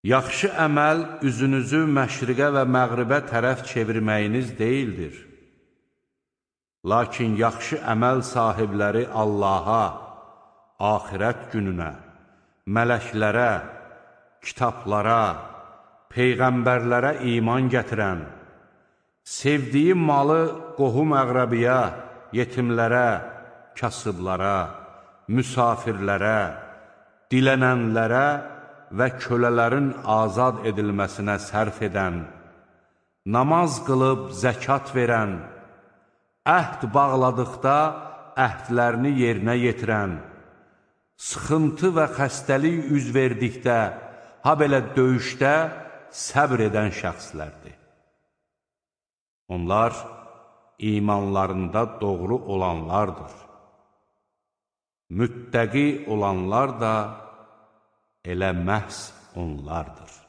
Yaxşı əməl üzünüzü məşriqə və məğribə tərəf çevirməyiniz deyildir. Lakin yaxşı əməl sahibləri Allaha, axirət gününə, mələklərə, kitablara, peyğəmbərlərə iman gətirən, sevdiyi malı qohum-əqrəbiyə, yetimlərə, kasıblara, müsafirlərə, dilənənlərə və kölələrin azad edilməsinə sərf edən, namaz qılıb zəkat verən, əhd bağladıqda əhdlərini yerinə yetirən, sıxıntı və xəstəlik üz verdikdə, ha belə döyüşdə səbr edən şəxslərdir. Onlar imanlarında doğru olanlardır. Müttəqi olanlar da elə məhz onlardır.